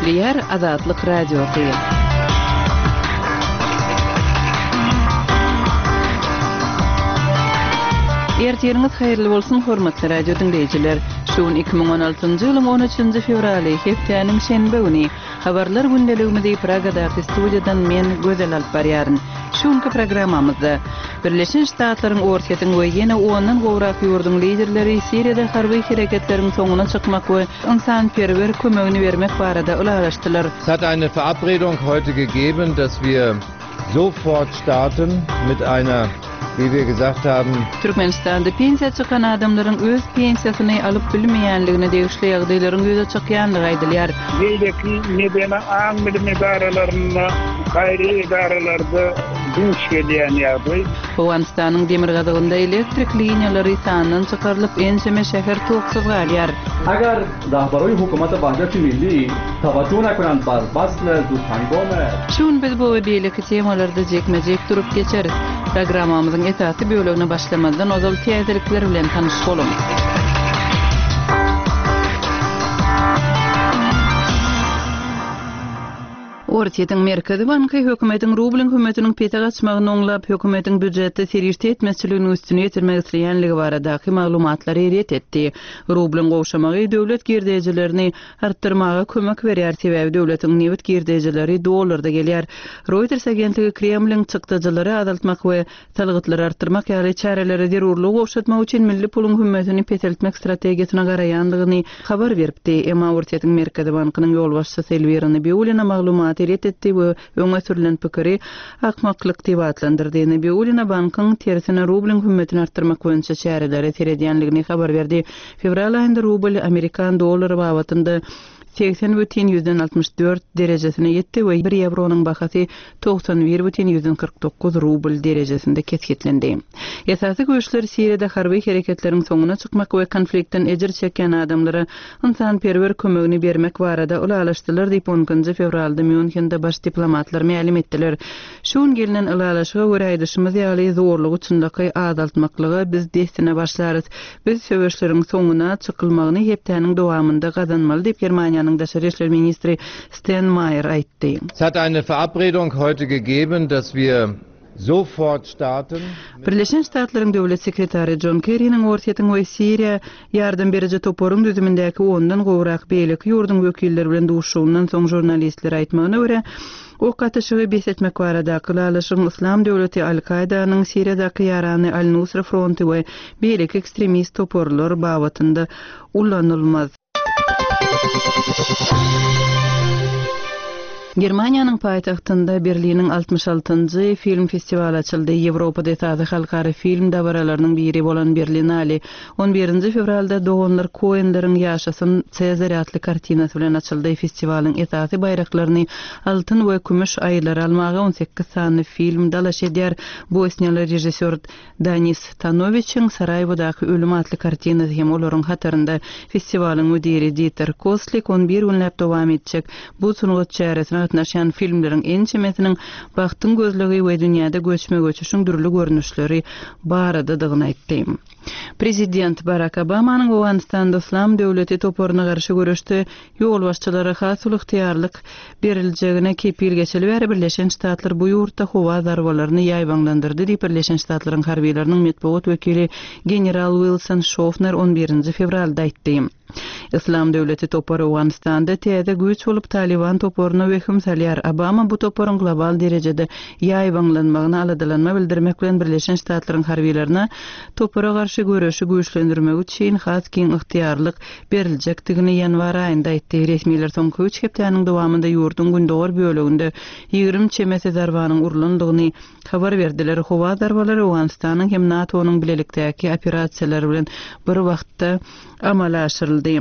Gepleýär Azatlyk Radiosy. Ertiriňiz haýyrly bolsun, hormatly radio diňleýjiler! Şu gün 2016-njy ýylyň 13-nji fewraly, hepdäniň şenbe güni. Habarlar gündeligimizi Pragadaky studiýadan men, Gözel alyp barýaryn. Şu günki programmamyzda, Birleşen Ştatlaryň, Orsýetiň we ýene ondan gowrak ýurduň liderleri Siriýada harby hereketleriň soňuna çykmak we ynsanperwer kömegini bermek barada ylalaşdylar. Es hat eine Verabredung heute gegeben, dass wir sofort starten mit einer, wie wir gesagt haben. Türkmenistanda pensiýa çykan adamlaryň öz pensiýasyny alyp bilmeýänligine degişli ýagdaýlaryň ýüze çykýandygy aýdylýar. Beýleki medeni aň-bilim edaralarynda, gaýry edaralarda duş gelýän ýagdaý. Owganystanyň demirgazygynda elektrik liniýalary sandan çykarylyp, ençeme şäher toksuz galýar. Agar Rahbaroý hukumata wahdati milli tawajjuh nakunand bar basl zudhangom. Şu gün biz bu we beýleki temalarda jikme-jik durup geçeris. Programmamyzyň esasy bölegine başlamazdan ozal täzelikler bilen tanyş boluň. Orsýetiň Merkezi banky hökümetiň rublyň hümmetiniň pese gaçmagyny oňlap, hökümetiň býujetde serişde ýetmezçiliginiň üstüni ýetirmek isleýänligi baradaky maglumatlary ret etdi. Rublyň gowşamagy döwlet girdejilerini artdyrmaga kömek berýär, sebäbi döwletiň nebit girdejileri dollarda gelýär. Reuters agentligi Kremliň çykdajylary azaltmak we Salgytlary artdyrmak ýaly çärelere zerurlygy gowşatmak üçin milli puluň hümmetini peseltmek strategiýasyna garaýandygyny habar beripdi. Emma Orsýetiň Merkezi bankynyň ýolbaşçysy Elwira Nabiullina maglumaty ret etdi we öňe sürlen pikiri akmaklyk diýip atlandyrdy. Nabiullina bankyň, tersine, rublyň hümmetini artdyrmak boýunça çärelere seredýändigini habar berdi. Fewral aýynda rubl amerikan dollary babatynda 80,64 derejesine ýetdi we bir ýewronyň bahasy 91,49 rubl derejesinde kesgitlendi. Esasy güýçler Siriýada harby hereketleriň soňuna çykmak we konfliktden ejir çekýän adamlara ynsanperwer kömegini bermek barada ylalaşdylar diýip, on ikinji fewralda Mýunhende baş diplomatlar mälim etdiler. Şu gün gelnen ylalaşyga görä aýdyşymyz ýaly, zorlugy çynlakaý azaltmaklyga biz dessine başlarys. Biz söweşleriň soňuna çykylmagyny hepdäniň dowamynda gazanmaly diýip, Germaniýanyň daşary işler ministri Steinmeier aýtdy. Es hat eine Verabredung heute gegeben, dass wir sofort starten. Birleşen Ştatlaryň Döwlet sekretary Jon Kerriniň Orsýetiň we Siriýa ýardam beriji toparyň düzümindäki ondan gowrak beýleki ýurduň wekilleri bilen duşuşygyndan soň žurnalistlere aýtmagyna görä, Ok atyşygy bes etmek baradaky ylalaşygyň Yslam döwleti, Al-Kaýdanyň Siriýadaky ýarany Al-Nusra fronty we beýleki ekstremist toparlar babatynda ulanylmaz. Germaniýanyň paýtagtynda Berliniň 66-njy film festiwaly açyldy. Ýewropada esasy halkara film dabaralarynyň biri bolan Berlinale On birinji fewralda doganlar Koenleriň Ýaşasyn Sezar atly kartinasy bilen açyldy. Festiwalyň esasy baýraklaryny altyn we kümüş aýylary almaga 18 sany film dalaş edýär. Bosniýaly režissýor Danis Tanowiçiň Saraýewodaky ölüm atly kartinasy hem olaryň hatarynda. Festiwalyň müdiri Diter Koslik on bir günläp dowam etjek bu sungat çäresine gatnaşýan filmleriň ençemesiniň bagtyň gözlegi we dünýäde göçme-göçüşiň dürli görnüşleri baradadygyny aýtdy. Prezident Barak Obamanyň Owganystanda Yslam döwleti toparyna garşy göreşde ýolbaşçylara has uly ygtyýarlyk beriljegine kepil geçeli bäri Birleşen Ştatlar bu ýurtda howa zarbalaryny ýaýbaňlandyrdy diýip Birleşen Ştatlaryň harbylarynyň metbugat wekili general Wilson Şofner on birinji fewralda aýtdy. Yslam döwleti topary Owganystanda täze güýç bolup Talyban toparyna wehim salýar. Obama bu toparyň global derejede ýaýbaňlanmagyna aladalanma bildirmek bilen Birleşen Ştatlaryň harbylaryna topara garşy göreşi güýçlendirmek üçin has giň ygtyýarlyk beriljekdigini ýanwar aýynda aýtdy. Resmiler soňky üç hepdäniň dowamynda ýurduň gündogar böleginde 20 çemesi zarbanyň urlandygyny Habar berdiler. Howa zarbalary Owganystanyň hem NATO-nyň bilelikdäki operasiýalary bilen bir wagtda amala aşyryldy.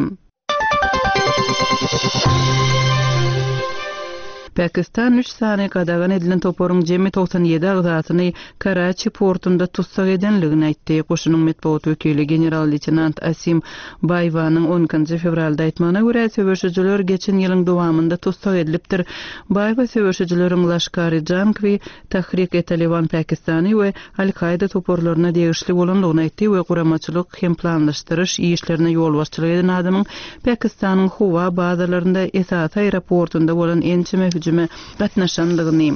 Pakistan üç sany gadagan edilen toparyň jemi 97 agzasyny Karaçi portunda tussag edenligini aýtdy. Goşunyň metbugat wekili general-leýtenant Asim Baýwanyň on ikinji fewralda aýtmagyna görä, söweşijiler geçen ýylyň dowamynda tussag edilipdir. Baýwa söweşijileriň Laşkar-e-Jangwi, Tahrik-e-Taliban Pakistany we Al-Kaýda toparlaryna degişli bolandygyny aýtdy we guramaçylyk hem planlaşdyryş işlerine ýolbaşçylyk eden adamyň Pakistanyň howa bazalarynda esasy aeroportunda bolan ençeme hüjüme gatnaşandygyny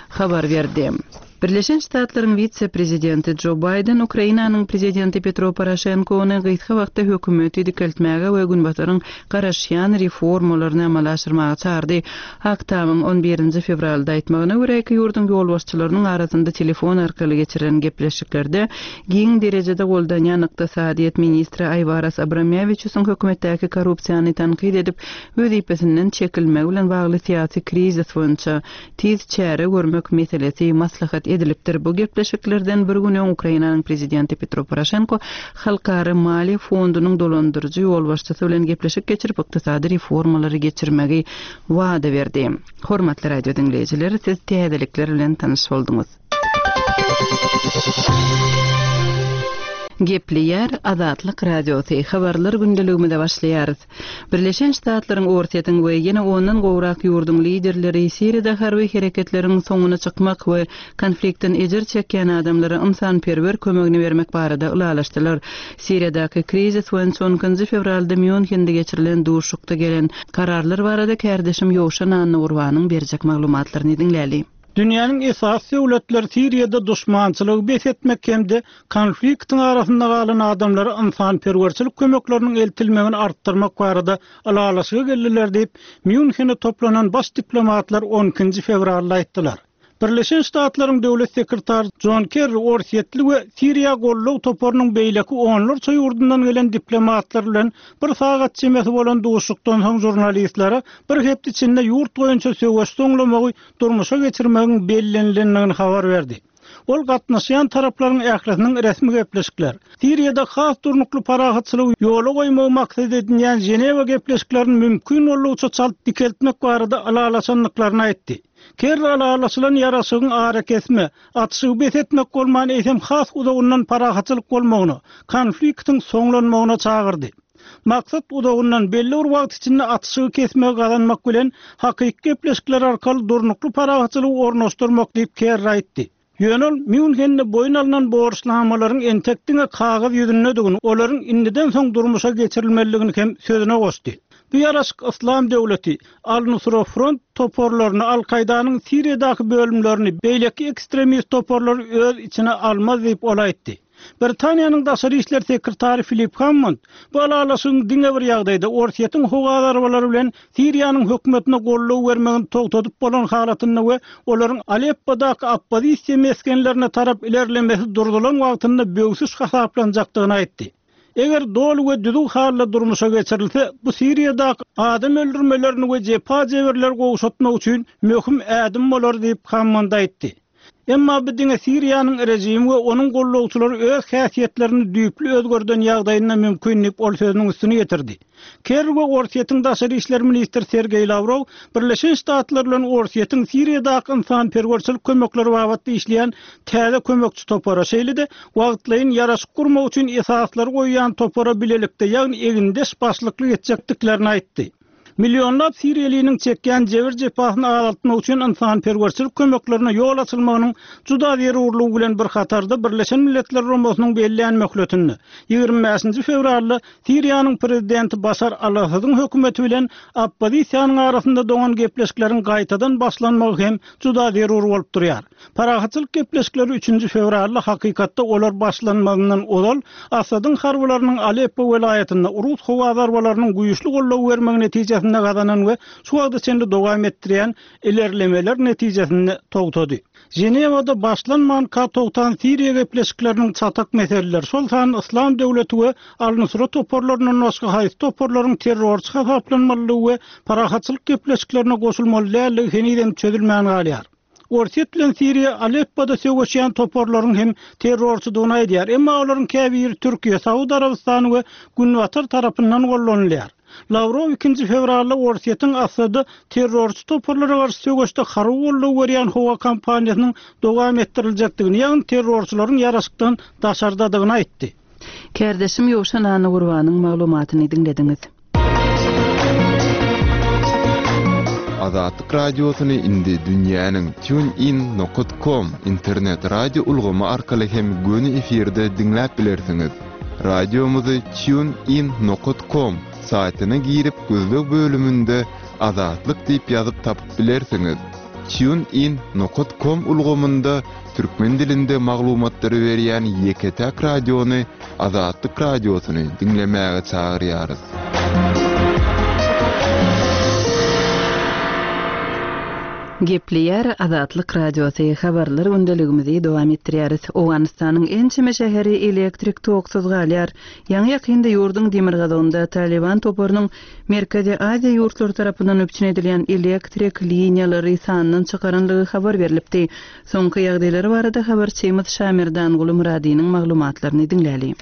habar berdi. Birleşen Ştatlaryň wise-prezidenti Jo Baýden Ukrainanyň prezidenti Petro Poroşenkony gysga wagtda hökümeti dikeltmäge we Günbataryň garaşýan reformalaryny amala aşyrmaga çagyrdy. Ak Tamyň on birinji fewralda aýtmagyna görä, iki ýurduň ýolbaşçylarynyň arasynda telefon arkaly geçirilen gepleşiklerde giň derejede goldanýan ykdysadyýet ministri Aýwaras Abramýawiçusyň hökümetdäki korrupsiýany tankyt edip, wezipesinden çekilmegi bilen bagly syýasy krizis boýunça tiz çäre görmek meselesi maslahat edilipdir. Bu gepleşiklerden bir gün öň Ukrainanyň prezidenti Petro Poroşenko Halkara maliýe fondunyň dolandyryjy ýolbaşçysy bilen gepleşik geçirip, ykdysady reformalary geçirmegi wada berdi. Hormatly radio diňleýjiler, siz täzelikler bilen tanyş bolduňyz. Gepleýär Azatlyk Radiosy, Habarlar gündeligimize başlaýarys. Birleşen Ştatlaryň, Orsýetiň we ýene ondan gowrak ýurduň liderleri Siriýada harby hereketleriň soňuna çykmak we konfliktden ejir çekýän adamlara ynsanperwer kömegini bermek barada ylalaşdylar. Siriýadaky krizis boýunça on ikinji fewralda Mýunhende geçirilen duşuşykda gelen kararlar barada kärdeşim Ýowşan Annagurbanyň berjek maglumatlaryny diňläli. Dünýäniň esasy döwletleri Siriýada duşmançylygy bes etmek hem-de konfliktiň arasynda galan adamlara ynsanperwerçilik kömekleriniň eltilmegini artdyrmak barada ylalaşyga geldiler diýip, Mýunhene toplanan baş diplomatlar on ikinji fewralda aýtdylar. Birleşen Ştatlaryň Döwlet sekretary Jon Kerri orsýetli we Siriýa goldaw toparynyň beýleki onlarça ýurdundan gelen diplomatlar bilen bir sagat çemesi bolan duşuşykdan soň žurnalistlere bir hepde içinde ýurt boýunça söweş soňlamagy durmuşa geçirmegiň bellenilendigini habar berdi. Ol gatnaşýan taraplaryň ählisiniň resmi gepleşikler, Siriýada has durnukly parahatçylygy ýola goýmagy maksat edinýän Ženewa gepleşiklerini mümkin boldugyça çalt dikeltmek barada ylalaşandyklaryny aýtdy. Kerri ylalaşylan ýaraşygyň arakesme, atyşygy bes etmek bolman, eýsem has uzagyndan parahatçylyk bolmagyna, konfliktiň soňlanmagyna çagyrdy. Maksat uzagyndan, belli bir wagt içinde atyşygy kesmegi gazanmak bilen, hakyky gepleşikler arkaly durnukly parahatçylygy ornaşdyrmak diýip, Kerri aýtdy. Ýöne ol Mýunhende boýun alnan borçnamalaryň entek diňe kagyz ýüzündedigini, olaryň indiden soň durmuşa geçirilmelidigini hem sözüne goşdy. Bu ýaraşyk Yslam döwleti, Al-Nusra Front toparlaryny, Al-Kaýdanyň Siriýadaky bölümlerini, beýleki ekstremist toparlary öz içine almaz diýip, ol aýtdy. Britaniýanyň daşary işler sekretary Filip Hammond bu ylalaşygyň diňe bir ýagdaýda Orsýetiň howa zarbalary bilen Siriýanyň hökümetine goldaw bermegini togtadyp bolan halatynda we olaryň Aleppodaky oppozisiýa mesgenlerine tarap ilerlemesi durzulan wagtynda böwsüş hasaplanjakdygyny aýtdy. Eger doly we düzüw halda durmuşa geçirilse, bu Siriýadaky adam öldürmelerini we jepa-jebirleri gowşatmak üçin möhüm ädim bolar diýip, Hammond aýtdy. Emma bu diňe Siriýanyň režimi we onuň gollawçylary öz häsiýetlerini düýpli özgerden ýagdaýynda mümkin diýip, ol sözüniň üstüni ýetirdi. Kerri we Orsýetiň daşary işler ministri Sergeý Lawrow Birleşen Ştatlar bilen Orsýetiň Siriýadaky ynsanperwerçilik kömekleri babatda işleýän täze kömekçi topara, şeýle-de wagtlaýyn ýaraşyk gurmak üçin esaslary goýýan topara bilelikde, ýagny egindeş başlyklyk etjekdiklerini aýtdy. Millionlap siriýalynyň çekýän jebir-jepasyny azaltmak üçin ynsanperwerçilik kömeklerine ýol açylmagynyň juda zerurlygy bilen bir hatarda Birleşen Milletler Guramasynyň bellän möhletinde, 25-nji fewralda Siriýanyň prezidenti Başar al-Assadyň hökümeti bilen oppozisiýanyň arasynda doňan gepleşikleriň gaýtadan başlanmagy hem juda zerur bolup durýar. Parahatçylyk gepleşikleri üçünji fewralda hakykatda olar başlanmazyndan ozal Assadyň harbylarynyň Aleppo welaýatynda rus howa zarbalarynyň güýçli goldaw bermegi netijesinde gazanan we şu wagta çenli dowam etdirýän ilerlemeler netijesinde togtady. Ženewada başlanmanka togtan Siriýa gepleşikleriniň çatak meseleleri, şol sanda Yslam döwleti we Al-Nusra toparlaryndan başga haýsy toparlaryň terrorçy hasaplanmalydygy we parahatçylyk gepleşiklerine goşulmaly däldigi henizem çözülmän galýar. Orsýet bilen Siriýa Aleppoda söweşýän toparlaryň hem terrorçydygyny aýdýar, emma olaryň käbiri Türkiýe, Saud Arabystany we Günbatar tarapyndan gollanylýar. Lawrow ikinji fewralda Orsýetiň Assada terrorçy toparlara garşy söweşde harby goldaw berýän howa kampaniýasynyň dowam etdiriljekdigini, ýagny terrorçylaryň ýaraşykdan daşardadygyny aýtdy. Kärdeşim Ýowşan Annagurbanyň maglumatyny diňlediňiz. Azatlyk Radiosyny indi dünýäniň TuneIn nokat com internet radio ulgamy arkaly hem göni efirde diňläp bilersiňiz. Radiomyzy TuneIn nokat com saýtyna girip gözleg bölüminde Azatlyk diýip ýazyp tapyp bilersiňiz. TuneIn nokat com ulgamynda türkmen dilinde maglumatlary berýän ýeke-täk radiony Azatlyk Radiosyny diňlemäge çagyrýarys. Gepleýär Azatlyk Radiosy, Habarlar gündeligimizi dowam etdirýäris. Owganystanyň ençeme şäheri elektrik toksuz galýar. Ýaňy-ýakynda ýurduň demirgazygynda Talyban toparynyň Merkezi Aziýa ýurtlary tarapyndan üpjün edilýän elektrik liniýalary sandan çykaranlygy habar berlipdi. Soňky ýagdaýlar barada habarçymyz Şamerdanguly Myradynyň maglumatlaryny diňläli.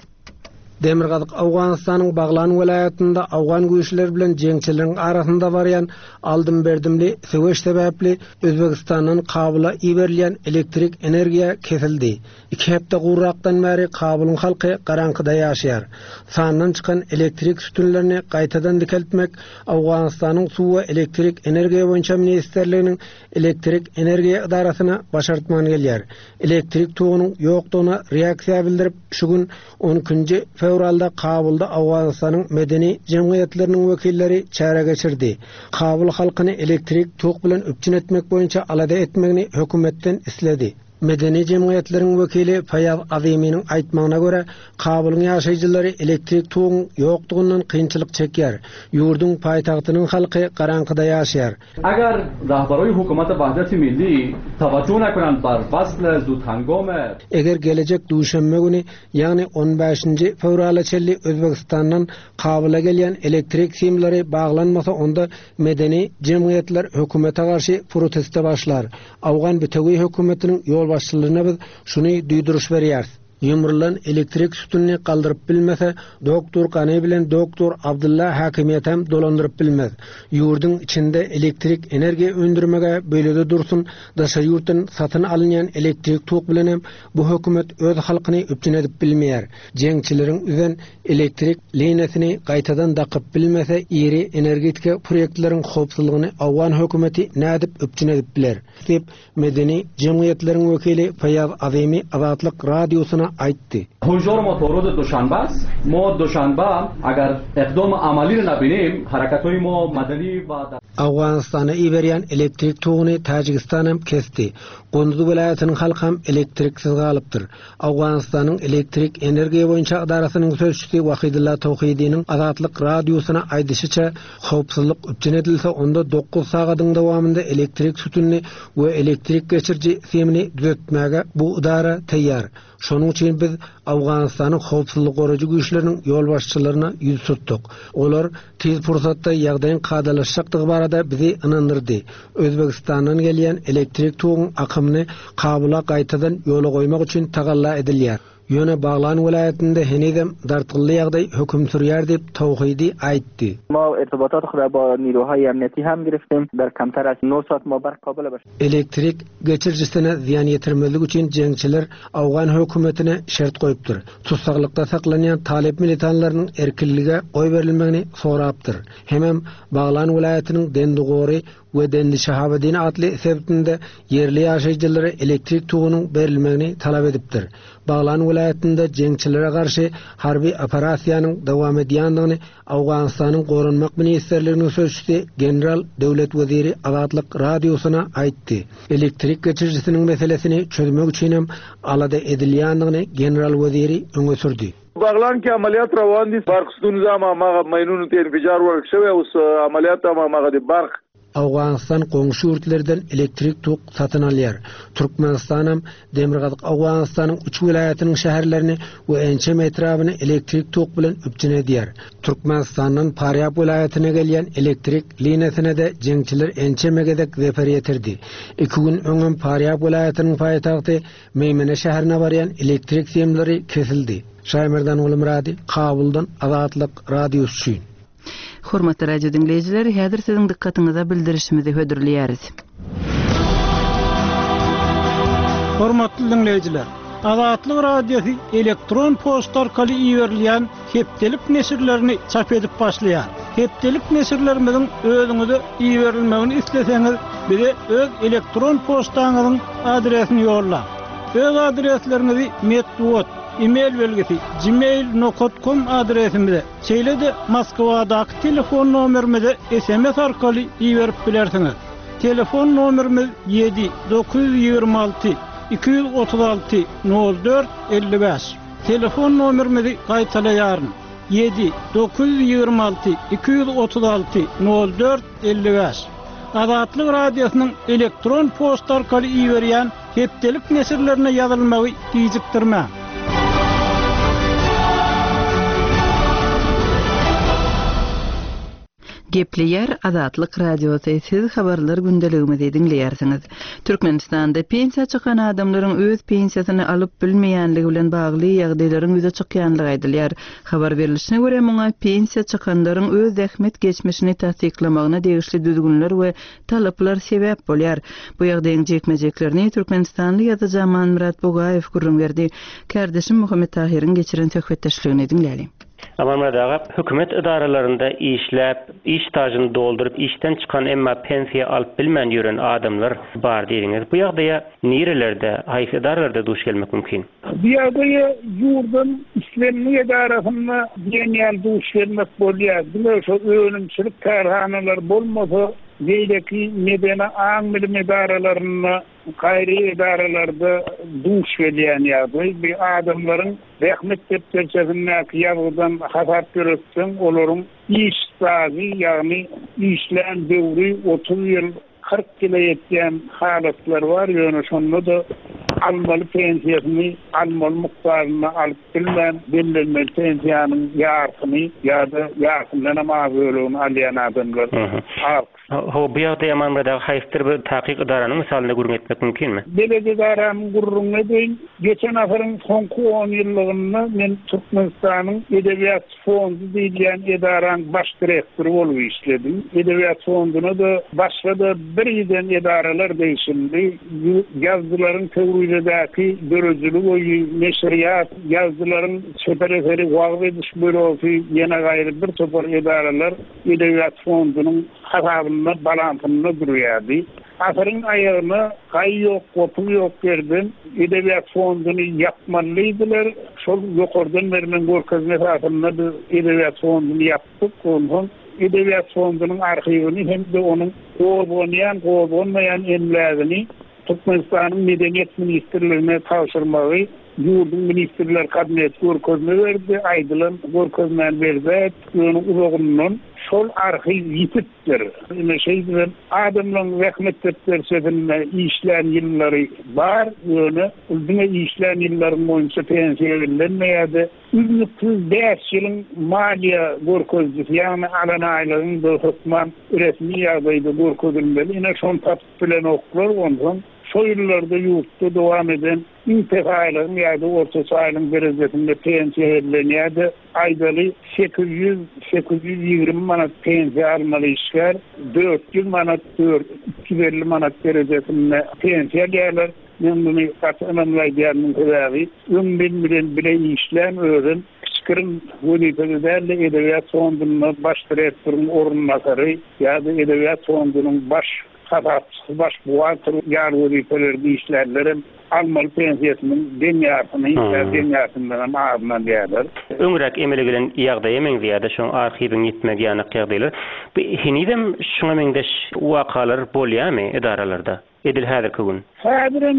Demirgazyk Owganystanyň Baglan welaýatynda owgan güýçleri bilen jeňçileriň arasynda barýan aldym-berdimli söweş sebäpli Özbegistandan Kabula iberilýän elektrik energiýa kesildi. Iki hepde gowrakdan bäri Kabulyň halky garaňkyda ýaşaýar. Sandan çykan elektrik sütünlerini gaýtadan dikeltmek Owganystanyň Suw we elektrik energiýa boýunça ministrliginiň Elektrik energiýa edarasyna başartman gelýär. Elektrik togunyň ýokdugyna reaksiýa bildirip, şu gün, on ikinji fewralda Kabulda Owganystanyň medeni jemgyýetleriniň wekilleri çäre geçirdi. Kabul halkyny elektrik tok bilen üpjün etmek boýunça alada etmegini hökümetden isledi. Medeni jemgyýetleriň wekili Faýaz Aziminiň aýtmagyna görä, Kabulyň ýaşaýjylary elektrik toguň ýokdugyndan kynçylyk çekýär. Ýurduň paýtagtynyň halky garaňkyda ýaşaýar. Agar rahbaroý hukumat wahdati milli tawajjuh nakunand bar wasl zudhangome. Eger gelejek duşenbe güni, ýagny on bäşinji fewrala çenli Özbegistandan Kabula gelýän elektrik simleri baglanmasa onda medeni jemgyýetler hökümete garşy proteste başlar. Awgan bitewi hökümetiniň ýolbaşçylaryna biz şuny duýduryş berýäris. Ýumrulan elektrik sütünini galdyryp bilmese, doktor Gani bilen doktor Abdylla häkimiýetem dolandyryp bilmez. Ýurduň içinde elektrik energiýa öndürmeg-ä beýlede dursun, daşary ýurtdan satyn alynýan elektrik tok bilenem bu hökümet öz halkyny üpjün edip bilmeýär. Jeňçileriň üzen elektrik liniýasyny gaýtadan dakyp bilmese, iri energetika proýektleriň howpsuzlygyny owgan hökümeti nädip üpjün edip biler? diýip, Medeni jemgyýetleriň wekili Faýaz Azimi Azatlyk Radiosyna aýtdy. Hujor mo to roz duşanbe ast, mo duşanbe agar eqdom amali ra nabinim, harakathoy mo madani va dar. Owganystana iberýän elektrik toguny Täjigistan hem kesdi. Gunduz welaýatynyň halky hem elektriksiz galypdyr. Owganystanyň elektrik energiýa boýunça edarasynyň sözçüsi Wahidulla Towhidiniň Azatlyk Radiosyna aýdyşyça, howpsuzlyk üpjün edilse, onda dokuz sagadyň dowamynda elektrik sütünini we elektrik geçiriji simini düzetmäge bu edara taýýar. Şonuň üçin biz Owganystanyň howpsuzlyk goraýjy güýçleriniň ýolbaşçylaryna ýüz tutduk. Olar tiz pursatda ýagdaýyň kadalaşjakdygy barada bizi ynandyrdy. Özbegistandan gelýän elektrik toguň akymyny Kabula gaýtadan ýola goýmak üçin tagalla edilýär. Ýöne Baglan welaýatynda henizem dartgynly ýagdaý höküm sürýär diýip, Towhidi aýtdy. Elektrik geçirijisine zyýan ýetirmezlik üçin jeňçiler owgan hökümetine şert goýupdyr. Tussaglykda saklanýan talyp militanlarynyň erkinlige goýberilmegini sorapdyr. Hemem Baglan welaýatynyň Dendigory we Dendi-Şahabeddin atly sebitinde ýerli ýaşaýjylara elektrik togunyň berilmegini talap edipdir. Baglan welaýatynda jeňçilere garşy harby operasiýanyň dowam edýändigini Owganystanyň Goranmak ministrliginiň sözçüsi general Döwlet Weziri Azatlyk Radiosyna aýtdy. Elektrik geçirijisiniň meselesini çözmek üçinem alada edilýändigini general Weziri öňe sürdi. بغلان کې عملیات روان دي برق ستونزه هم هماغه ماینونو ته انفجار ورک شوی اوس عملیات هم هماغه د برق Owganystan goňşy ýurtlardan elektrik tok satyn alýar. Türkmenistanam Demirgazyk Owganystanyň üç welaýatynyň şäherlerini we ençeme etrabyny elektrik tok bilen üpjün edýär. Türkmenistandan Farýab welaýatyna gelýän elektrik liniýasyna-da jeňçiler ençeme gezek zeper ýetirdi. Iki gün öňem Farýab welaýatynyň paýtagty Meýmene şäherine barýan elektrik simleri kesildi. Şaýmerdan Gulmyrady, Kabuldan Azatlyk Radiosy üçin. Hormatly radio diňleýjiler, häzir siziň dykgatyňyza bildirişimizi hödürleýäris. Hormatly diňleýjiler! Azatlyk Radiosy elektron poçta arkaly iberilýän hepdelik neşirlerini çap edip başlaýar. Hepdelik neşirlerimiziň özüňize iberilmegini isleseňiz, bize öz elektron poçtaňyzyň adresini ýollaň. Öz adresleriňizi metbugat, e-mail belgisi, gmail nokat kom adresimize, Şeýle-de Moskwadaky telefon nomerimize sms arkaly iberip bilersiňiz. Telefon nomerimiz ýedi 926 236 04 55. Telefon nomerimizi gaýtalaýaryn, ýedi 926 236 04 55. Azatlyk Radiosynyň elektron poçta arkaly iberýän Hepdelik neşirlerine ýazylmagy gijikdirmäň. Gepleýär Azatlyk Radiosy, siz habarlar gündeligimizi diňleýärsiňiz. Türkmenistanda pensiýa çykan adamlaryň öz pensiýasyny alyp bilmeýänligi bilen bagly ýagdaýlaryň ýüze çykýanlygy aýdylýar. Habar berlişine görä, muňa pensiýa çykanlaryň öz zähmet geçmişini tassyklamagyna degişli düzgünler we Talaplar sebäp bolýar. Bu ýagdaýyň jikme-jiklerini türkmenistanly ýazyjy Amanmyrat Bugaýew gürrüň berdi. Kärdeşim Muhammet Tahyryň geçiren söhbetdeşligini diňläliň. Amanmyrat aga, hökümet edaralarynda işläp, iş stažyny dolduryp işden çykan, emma pensiýa alyp bilmän ýören adamlar bar diýdiňiz. Bu ýagdaýa nirelerde, haýsy edaralarda duş gelmek mümkin? Bu ýagdaýa ýurduň islendik edarasynda diýen ýaly duş gelmek bolýar. Diňe şo önümçilik kärhanalary bolmasa, beýleki medeni aň-bilim edaralarynda, gaýry edaralarda duş gelýän ýagdaý. Bu adamlaryň zähmet depderçesindäki ýazgydan hasap ýöretseň, olaryň iş stažy, ýagny işlän döwri 30 ýyl, 40 ýyla ýetýän halatlar bar, ýöne şonda-da almaly pensiýasyny almaly mukdarynda alyp bilmän, bellenmeli pensiýanyň ýarsyny ýa-da ýarsyndanam az bölegini alýan adamlar az. Hawa, bu ýagdaýy Amanmyrat aga haýsydyr bir takyk edaranyň mysalynda gürrüň etmek mümkinmi? Belet edaramyň gürrüňini edeýin. Geçen asyryň soňky onýyllygynda men Türkmenistanyň Edebiýat fondy diýilýän edaraň baş direktory bolup işledim. Edebiýat fonduna-da başga-da birgiden edaralar degişlidi. Ýazyjylaryň Pöwrizedäki döredijilik öýi, neşirýat, ýazyjylaryň çeper eseri wagyz ediş bürosy, ýene gaýry bir topar edaralar Edebiýat fondunyň hasabynda, balansynda durýardy. Asyryň aýagyna gaý ýok, gopuz ýok ýerden Edebiýat fonduny ýapmaly diýdiler. Şol ýokardan berlen görkezme esasynda biz Edebiýat fonduny ýapdyk. Onsoň Edebiýat fondunyň arhiwini hem-de onuň gozganýan, gozganmaýan emlägini Türkmenistanyň Medeniýet ministrligine tabşyrmagy ýurduň Ministrler Kabineti görkezme berdi. Aýdylan görkezmäni berjaý etdik, ýöne uzagyndan şol arhiw ýitip Ýitipdir. Ine, şeýdibem adamlaryň zähmet depderçesinde işlän ýyllary bar, ýöne ol diňe işlän ýyllaryň boýunça pensiýa bellenmeýär-de, üznüksiz bäş ýylyň maliýe görkezijisi, ýagny alan aýlygyň-da hökman resmi ýagdaýda görkezilmeli. Ine, şony tapyp bilenoklar. Onsoň şo ýyllarda ýurtda dowam eden iň pes aýlygyň ýa-da ortaça aýlygyň derejesinde pensiýa bellenýär-de, Aýdaly, 800, 820 manat pensiýa almaly işgär 400 manat, 350 manat derejesinde pensiýa alýarlar. Men muny gaty ynamly aýdýarmyň sebäbi, öň men bilen bile işlän özem kiçikirim wezipede däl-de Edebiýat fondunda baş direktoryň orunbasary ýa-da Edebiýat fondunyň baş Hasapçysy, baş buhgalter ýaly wezipelerde işlänlerem almaly pensiýasynyň deň ýarsyny ýa deň ýarsyndanam azyny alýarlar. Öňräk emele gelen ýagdaýa meňzeýär-de şoň arhiwiň ýitmegi ýanak ýagdaýlar. Bu henizem şuňa meňzeş wakalar bolýarmy edaralarda edil häzirki gün? Häzirem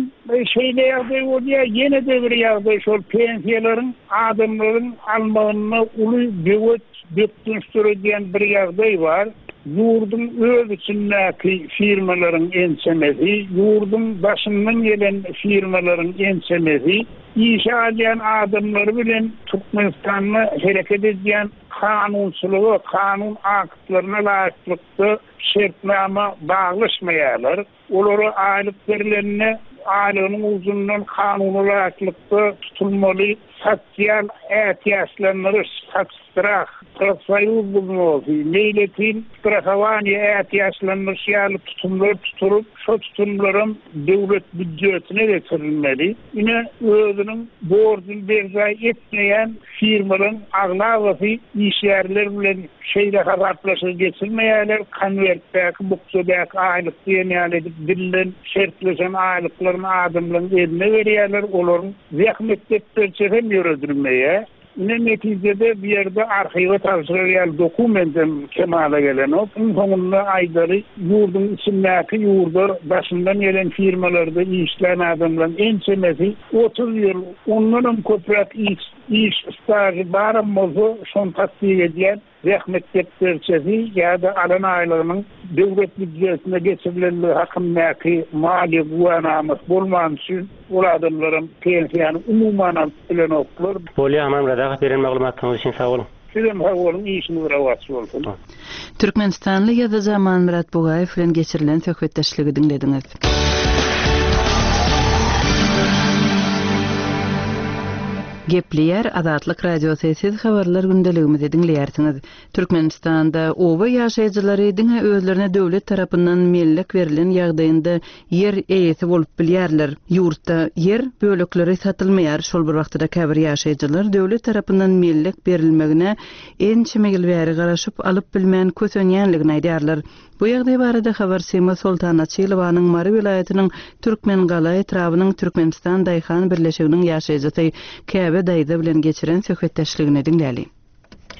şeýle ýagdaý bolýar. Ýene-de bir ýagdaý şol pensiýalaryň adamlaryň almagynda uly böwet Bökdenç döredýän bir ýagdaý bar, ýurduň öz içindäki firmalaryň ençemesi, ýurduň daşyndan gelen firmalaryň ençemesi işe alýan adamlary bilen Türkmenistanda hereket edýän kanunçylyga, kanun aktlaryna laýyklykda şertnama baglaşmaýarlar. Olara aýlyk berlende, aýlygynyň ujundan kanuna laýyklykda tutulmaly. Sosial ätiýaçlandyryş, sotsstrah, profsoýuz wznosy, meýletin strahowaniýe ätiýaçlandyryş ýaly tutumlar tutulyp, şo tutumlaram döwlet býudjetine geçirilmeli. Ine, özüniň borjuny berjaý etmeýän firmalaryň aglabasy işgärler bilen şeýle hasaplaşygy geçirmeýärler, konwertdäki, bukjadaky aýlyk diýen ýaly edip dilden şertleşen aýlyklaryny adamlaryň eline berýärler, olaryň Zähmet depderçesi hem ýöredilmeýär. Ine, netijede bu ýerde arhiwe tabşyrar ýaly dokumentem kemala gelenok. Iň soňunda aýdaly, ýurduň içindäki ýurda daşyndan gelen firmalarda işlän adamlaryň ençemesi 30 ýyl, ondanam köpräk iş iş stažy baram bolsa, şony tassyk edýän zähmet depderçesi ýa-da alan aýlygynyň döwlet býudjetine geçirilenligi hakyndaky maliýe güwänamasy bolmany üçin ol adamlaram pensiýany umuman alyp bilenoklar. Bolýa Amanmyrat aga beren maglumatlaryňyz üçin sag boluň. Sizem sag boluň işiňiz rowaç bolsun. Türkmenistanly ýazyjy Amanmyrat Bugaýew bilen geçirilen söhbetdeşligi diňlediňiz. Gepleýär Azatlyk Radiosy, siz habarlar gündeligimizi diňleýärsiňiz. Türkmenistanda oba ýaşaýjylary diňe özlerine döwlet tarapyndan mellek berlen ýagdaýynda ýer eýesi bolup bilýärler. Ýurtda ýer bölekleri satylmaýar, şol bir wagtda-da käbir ýaşaýjylar döwlet tarapyndan mellek berilmegine ençeme ýyl bäri garaşyp, alyp bilmän kösenýänligini aýdýarlar. Bu ýagdaý barada habarçymyz Soltan Açylowanyň Mary welaýatynyň Türkmengala etrabynyň Türkmenistan daýhan birleşiginiň ýaşaýjysy Käbe daýza bilen geçiren söhbetdeşligini diňläli.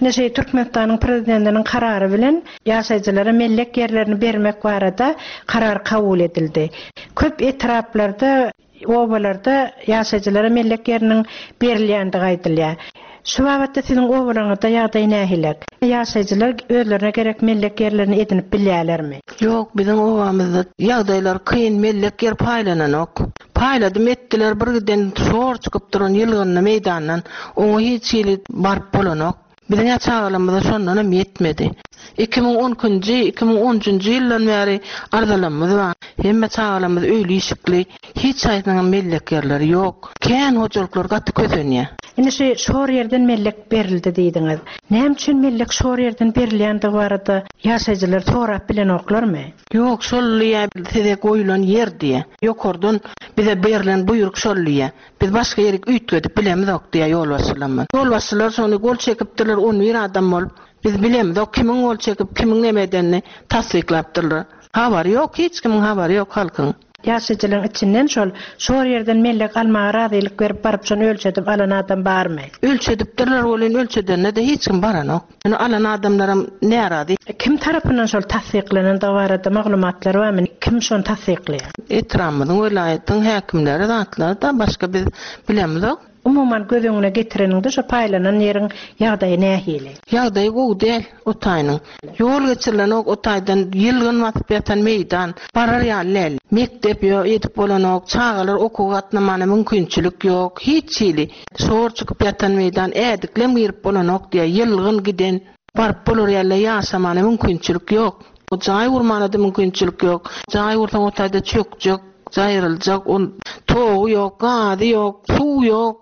Ine şeý Türkmenistanyň Prezidentiniň karary bilen ýaşaýjylara mellek ýerlerini bermek barada karar kabul edildi. Köp etraplarda Obalarda ýaşaýjylara mellek ýeriniň berilýändigi aýdylýar. Şu babatda siziň obalaryňyzda ýagdaý nähilek? Ýaşaýjylar özlerine gerek mellek ýerlerini edinip bilýärlermi? Ýok, biziň obamyzda ýagdaýlar kyn, mellek ýer paýlananok. Paýladym etdiler, bir giden şor çykyp duran ýylgynly meýdandan oňa hiç hili baryp bolanok. Biziň-ä çagalarymyza şondanam ýetmedi. 2012-nji, 2013-nji ýyldan bäri arzalarymyz bar. Hemme çagalarymyz öýli-işikli, hiç haýsynyňam mellek ýerleri ýok. Kän hojalyklar gaty kösenýär. Indi şu şor ýerden mellek berildi diýdiňiz. Näme üçin mellek şor ýerden berilýändigi barada ýaşaýjylar sorap bilenoklarmy? Ýok, şol diýýär, size goýlan ýer diýýär. Ýokardan bize berlen buýruk şol diýýär. Biz başga ýerik üýtgedip bilemizok diýýär ýolbaşçylarymyz. Ýolbaşçylar şony gol çekipdirler on bir adam bolup. Biz bilemizok kimiň gol çekip, kimiň neme edenini tassyklapdyrlar. Habary ýok, hiç kimiň habary ýok halkyň. Ýaşaýjylaryň içinden şol şor ýerden mellek almaga razylyk berip baryp şony ölçedip alan adam barmy? Ölçedipdirler welin ölçedende-de hiç kim baranok. Ýöne alan adamlaram närazy. Kim tarapyndan şol tassyklanandygy barada maglumatlar barmy? Kim şony tassyklaýar? Etrabymyzyň, welaýatyň häkimleri zatlar-da, başga biz bilemizok. Umuman göz öňüne getireniňde şo paýlanan ýeriň ýagdaýy nähili? Ýagdaýy gowy däl o taýynyň. Ýol geçirilenok o taýdan, ýylgyn basyp ýatan meýdan, barar ýaly däl. Mekdep ýok, edip bolanok, çagalar okuwa gatnamana mümkinçilik ýok, hiç hili. Şor çykyp ýatan meýdan, ädiklem girip bolanok diýýär, ýylgyn giden. Baryp bolar ýaly ýaşamana mümkinçilik ýok. Jaý gurmana-da mümkinçilik ýok. Jaý gursaň o taýda çökjek, jaýryljak, ol togy ýok, gazy ýok, suw ýok.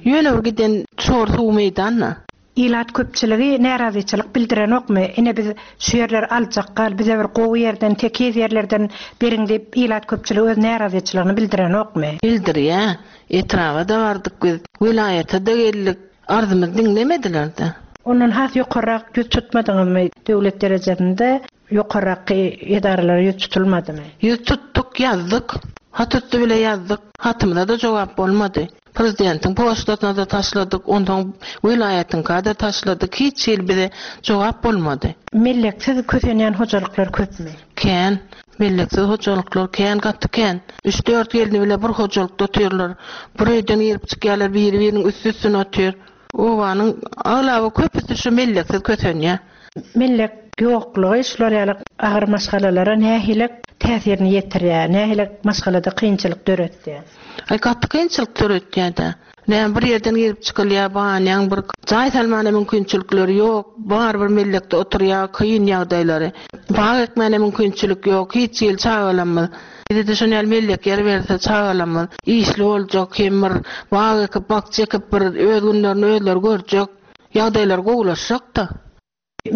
Ýöne bir giden şor suw meýdan-da. Ilat köpçüligi närazyçylyk bildirenokmy? Ine biz şu ýerleri aljak gal, bize bir gowy ýerden, tekiz ýerlerden beriň diýip ilat köpçüligi öz närazyçylygyny bildirenokmy? Bildirýä. Etraba-da bardyk biz, welaýata-da geldik. Arzymyzy diňlemediler-de. Ondan has ýokarrak ýüz tutmadyňyzmy? Döwlet derejesinde ýokarraky edaralara ýüz tutulmadymy? Ýüz tutduk, ýazdyk. Hat üsti bile ýazdyk. Hatymyza-da jogap bolmady. Prezidentiň poçtasyna-da taşladyk, onsoň welaýatyňka-da taşladyk, hiç hili bize jogap bolmady. Melleksiz kösenýän hojalyklar köpmi? Kän. Melleksiz hojalyklar kän, gaty kän. Üç-dört gelni bile bir hojalykda otyrlar. Bir öýden girip çykýarlar, biri-biriniň üsti-üstüne otyr. Obanyň aglaba köpüsi şu melleksiz kösenýär. Mellek ýoklugy şular ýaly agyr maşgalalara nähili täsirini ýetirýär, nähili maşgalada kynçylyk döretýär? Aý, gaty kynçylyk döretýär-dä. Näme bir ýerden girip çykylýar, banýaň bir jaý salmana mümkinçilikleri ýok, barybir mellekde oturýar, kyn ýagdaýlary. Bag ekmäne mümkinçilik ýok, hiç hili çagalarymyz. Bize-de şon ýaly mellek ýer berse çagalarymyz işli boljak hem bir bag ekip, bakja ekip bir öz günlerini özleri görjek, ýagdaýlary gowulaşjakda.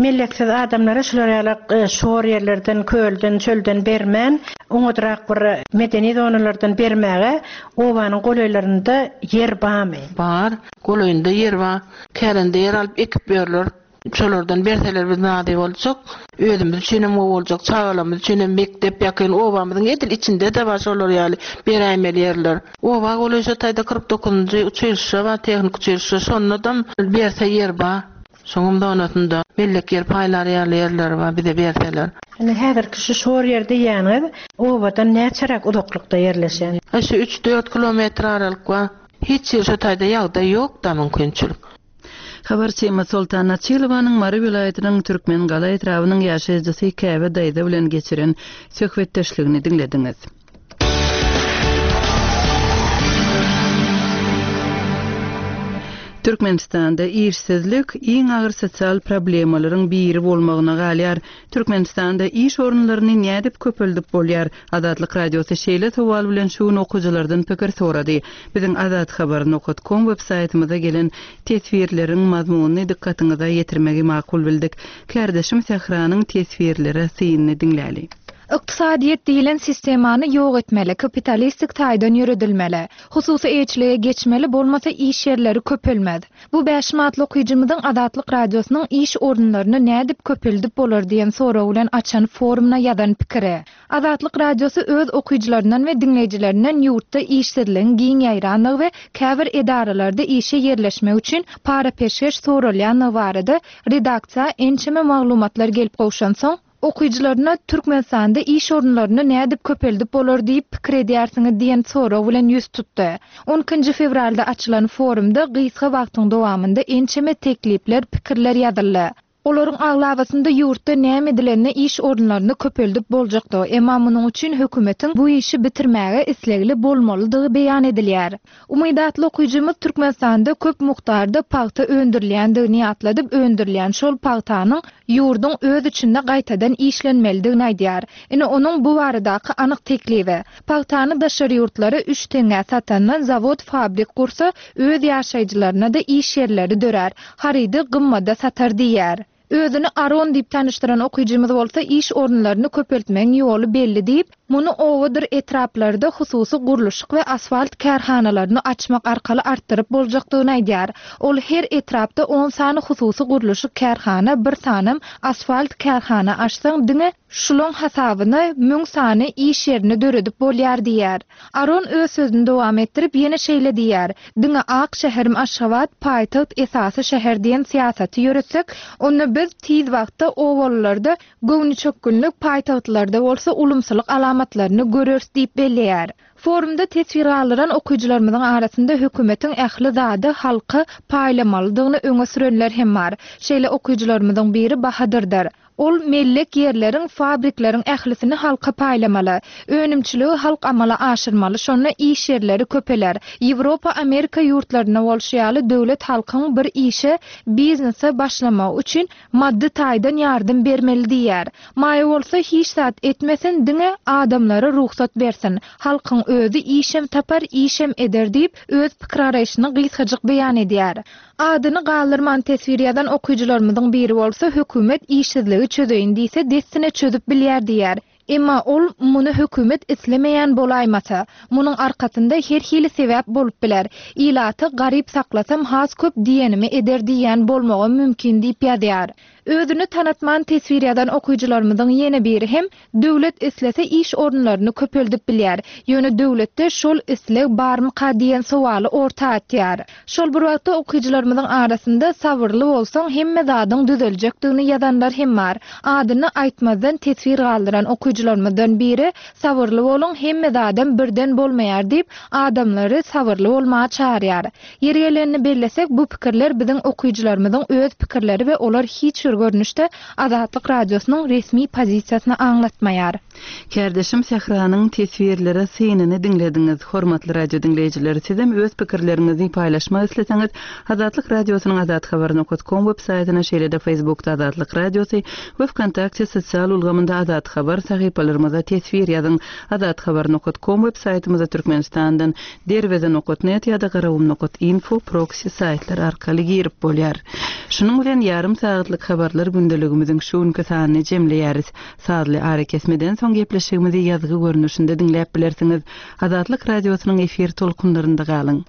Melleksiz adamlara şular ýaly şor ýerlerden, kölden, çölden bermän, oňadrak bir medeni zonalardan bermäge obanyň golaýlarynda ýer barmy? Bar. Golaýynda ýer bar. Kärende ýer alyp ekip ýörler. Şolardan berseler biz razy boljak. Özümiz üçinem gowy boljak, çagalarymyz üçinem mekdep ýakyn obamyzyň edil içinde-de bar şolar ýaly beräýmeli ýerler. Oba golaý şo taýda 49-njy uçilişşe bar, tehniki uçilişşe, şondadam berse ýer bar. Şoňam zonasynda mellek ýer paýlar ýaly ýerleri bar bize berseler. Indi häzirki şu şor ýer diýýäniňiz obadan näçeräk uzaklykda ýerleşen? Şu üç-dört kilometr aralyk bar. Hiç ýer şo taýda ýagdaý ýok-da mümkinçilik. Habarçymyz Soltan Açylowanyň Mary welaýatynyň Türkmengala etrabynyň ýaşaýjysy Käbe daýza bilen geçiren söhbetdeşligini diňlediňiz. Türkmenistanda işsizlik iň agyr sosial problemalaryň biri bolmagyna galýar. Türkmenistanda iş orunlaryny nädip köpeldip bolýar? Azatlyk Radiosy şeýle sowal bilen şu gün okyjylardan pikir sorady. Biziň azathabar nokat kom web saýtymyza gelen teswirleriň mazmunyny dykgatyňyza ýetirmegi makul bildik. Kärdeşim Sähranyň teswirlere synyny diňläli. Ykdysadyýet diýlen sistemany ýok etmeli, kapitalistik taýdan ýöredilmeli. Hususy eýeçilige geçmeli, bolmasa iş ýerleri köpelmez. Bu Bäşim atly okyjymyzyň Azatlyk Radiosynyň iş orunlaryny nädip köpeldip bolar diýen sorag bilen açan forumyna ýazan pikiri. Azatlyk Radiosy öz okyjylaryndan we diňleýjilerinden ýurtda işsizligiň giň ýaýrandygy we käbir edaralarda işe ýerleşmek üçin para-peşgeş soralýandygy barada redaksiýa ençeme maglumatlar gelip gowşansoň, Okyjylaryna Türkmenistanda iş orunlaryny nädip köpeldip bolar diýip pikir edýärsiňiz diýen sorag bilen ýüz tutdy. On ikinji fewralda açylan forumda gysga wagtyň dowamynda ençeme teklipler, pikirler ýazyldy. Olaryň aglabasynda ýurtda näme edilende iş orunlaryny köpeldip boljakdygy, emma munuň üçin hökümetiň bu işi bitirmäge islegli bolmalydygy beýan edilýär. Umyt atly okyjymyz Türkmenistanda köp mukdarda pagta öndürilýändigini ýatladyp, öndürilýän şol pagtanyň ýurduň öz içinde gaýtadan işlenmelidigini aýdýar. Ine, onuň bu baradaky anyk teklibi. Pagtany daşary ýurtlara üç teňňä satandan zawod-fabrik gursa, öz ýaşaýjylaryna-da iş ýerleri dörär, harydy gymmada satar diýýär. Özüni Aron diýip tanyşdyran okyjymyz bolsa iş orunlaryny köpeltmegiň ýoly belli diýip, muny obadyr etraplarda hususy gurluşyk we asfalt kärhanalaryny açmak arkaly artdyryp boljakdygyny aýdýar. Ol her etrapda on sany hususy gurluşyk kärhana, bir sanam asfalt kärhana açsaň diňe şulaň hasabyna müň sany iş ýerini döredip bolýar diýýär. Aron öz sözüni dowam etdirip, ýene şeýle diýýär, Diňe ak şäherim Aşgabat, paýtagt, esasy şäher diýen syýasaty ýöretsek, onda biz tiz wagtda obalylarda göwnüçökgünlik, paýtagtlylarda bolsa ulumsylyk alamatlaryny göreris diýip belleýär. Forumda teswir galdyran okyjylarymyzyň arasynda hökümetiň ähli zady halka paýlamalydygyny öňe sürenler hem bar. Şeýle okyjylarymyzyň biri Bahadyrdyr. Ol mellek ýerleriň, fabrikleriň ählisini halka paýlamaly. Önümçiligi halk amala aşyrmaly, şonda iş ýerleri köpeler. Ýewropa, Amerika ýurtlarynda bolşy ýaly döwlet halkyň bir işe, biznese başlamagy üçin maddy taýdan ýardam bermeli diýýär. Maýa bolsa hiç zat etmesin, diňe adamlara rugsat bersin. Halkyň özi işem tapar, işem eder diýip, öz pikir-garaýşyny gysgajyk beýan edýär. Adyny galdyrman teswir ýazan okyjylarymyzyň biri bolsa hökümet işsizligi çözeýin diýse dessine çözüp bilýär diýýär. Emma ol muny hökümet islemeýän bolaýmasa. Munuň arkasynda her hili sebäp bolup biler. Ilaty garyp saklasam has köp diýenimi eder diýýän bolmagam mümkin diýip ýazýar. Özüni tanatman teswir ýazan okyjylarymyzyň ýene biri hem Döwlet islese iş orunlaryny köpeldip bilýär. Ýöne döwletde şol isleg barmyka diýen sowaly orta atýar. Şol bir wagtda okyjylarymyzyň arasynda sabyrly bolsaň hemme zadyň düzeljekdigini ýazanlar hem bar. Adyny aýtmazdan teswir galdyran okyjylarymyzdan biri Sabyrly boluň hemme zadam birden bolmaýar diýip adamlary sabyrly bolmaga çagyrýar. Ýeri gelenini bellesek bu pikirler biziň okyjylarymyzyň öz pikirleri we olar hiç bir. bir görnüşde Azatlyk Radiosynyň resmi pozisiýasyny aňlatmaýar. Kärdeşim Sähranyň teswirlere synyny diňlediňiz. Hormatly radio diňleýjiler, sizem öz pikirleriňizi paýlaşmak isleseňiz, Azatlyk Radiosynyň azathabar nokat kom web saýtyna, şeýle-de Facebookda Azatlyk Radiosy we Wkontakte sosial ulgamynda Azathabar sahypalarymyza teswir ýazyň. Azathabar nokat kom web saýtymyza Türkmenistandan Derweze nokat net ýa-da Garagum nokat info proksi saýtlary arkaly girip bolýar. Şunuň bilen ýarym sagatlyk habarlar gündeligimiziň şu günki sanyny jemleýäris. Sazly arakesmeden soň gepleşigimizi ýazgy görnüşinde diňläp bilersiňiz. Azatlyk Radiosynyň efir tolkunlarynda galyň.